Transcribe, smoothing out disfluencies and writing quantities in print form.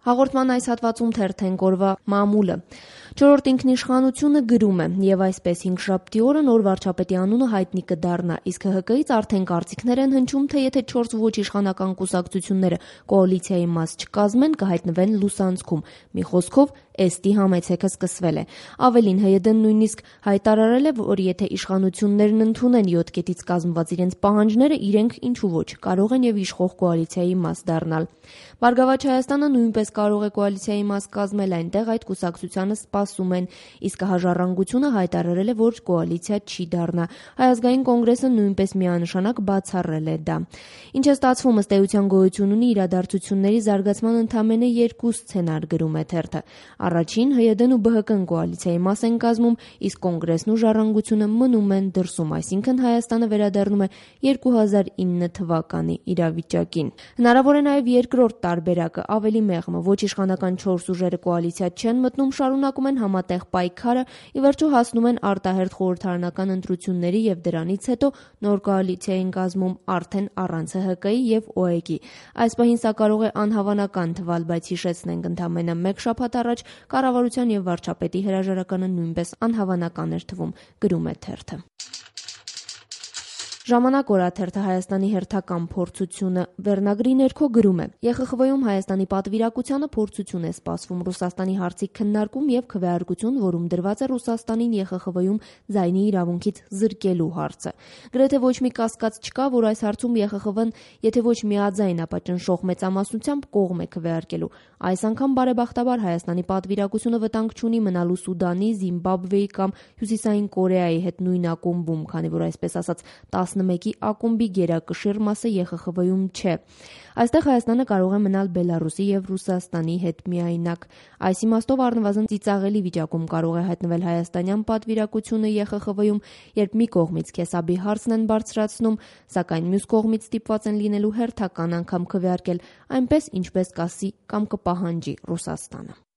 Հաղորդման այս հատվածում թերթենք օրվա մամուլը։ Չորրորդ ինքնիշխանությունը գրում է, եւ այսպես հինգշաբթի օրը նոր վարչապետի անունը հայտնի կդառնա, իսկ ՀՀԿ-ից արդեն կարծիքներ են հնչում, թե եթե 4 ոչ իշխանական կուսակցությունները կոալիցիայի մաս չկազմեն, կհայտնվեն լուսանցքում։ Մի խոսքով, էստի համեցեքը սկսվել է։ Ավելին, ՀՅԴ-ն նույնիսկ հայտարարել է, որ եթե իշխանություններն ընդունեն 7 կետից կազմված իրենց պահանջները, իրենք ինչու ոչ կարող են եւ իշխող կոալիցիայի մաս դառնալ։ Բարգավաճ Հայաստանը նույնպես կարող է կոալիցիայի մաս կազմել, այնտեղ այդ կուսակցությանը սպասում են, իսկ Ժառանգությունը հայտարարել է, որ կոալիցիա չի դառնա։ Հայ ազգային կոնգրեսը նույնպես միանշանակ բացառել է դա։ Ինչ է ստացվում, ըստ էության գոյություն ունի իրադարձությունների զարգացման ընդամենը 2 սցենար, գրում է թերթը։ Առաջին, ՀՅԴ-ն ու ԲՀԿ-ն կոալիցիայի մաս են կազմում, իսկ Կոնգրեսն ու Ժառանգությունը մնում են դրսում, այսինքն Հայաստանը վերադառնում է 2009 թվականի իրավիճակին։ Հնարավոր է նաև երկրորդ տարբերակը, ավելի մեղմը, ոչ իշխանական 4 ուժերը կոալիցիա չեն մտնում, շարունակում են համատեղ պայքարը, ի վերջո հասնում են արտահերթ խորհրդարանական ընտրությունների եւ դրանից հետո նոր կոալիցիա են կազմում արդեն առանց ՀՀԿ-ի եւ ՕԵԿ-ի։ Այս պահին սա կարող է անհավանական թվալ, բայց հիշեցնենք, ընդամենը 1 շաբաթ առաջ կառավարության եւ վարչապետի հրաժարականը նույնպես անհավանական էր թվում, գրում է թերթը։ Ժամանակ օրաթերթը Հայաստանի հերթական փորձությունը վերնագրի ներքո գրում է. ԵԽԽՎ-ում Հայաստանի պատվիրակությանը փորձություն է սպասվում Ռուսաստանի հարցի քննարկում եւ քվեարկություն, որում դրված է Ռուսաստանին ԵԽԽՎ-ում ձայնի իրավունքից զրկելու հարցը։ Գրեթե ոչ մի կասկած չկա, որ այս հարցում ԵԽԽՎ-ն եթե ոչ միաձայն, ապա ճնշող մեծամասնությամբ կողմ է քվեարկելու։ Այս անգամ բարեբախտաբար Հայաստանի պատվիրակությունը վտանգ չունի մնալու Սուդանի, Զիմբաբվեի կամ Հյուսիսային Կորեայի հետ նույն ակումբում, քանի որ այսպես ասած 11-ի ակումբի գերակշիռ մասը ԵԽԽՎ-ում չէ։ Այստեղ Հայաստանը կարող է մնալ Բելարուսի եւ Ռուսաստանի հետ միայնակ։ Այս իմաստով առնվազն ծիծաղելի վիճակում կարող է հայտնվել հայաստանյան պատվիրակությունը ԵԽԽՎ-ում, երբ մի կողմից Քեսաբի հարցն են բարձրացնում, սակայն մյուս կողմից ստիպված են լինելու հերթական անգամ քվեարկել, այնպես ինչպես կասի կամ կպահանջի Ռուսաստանը։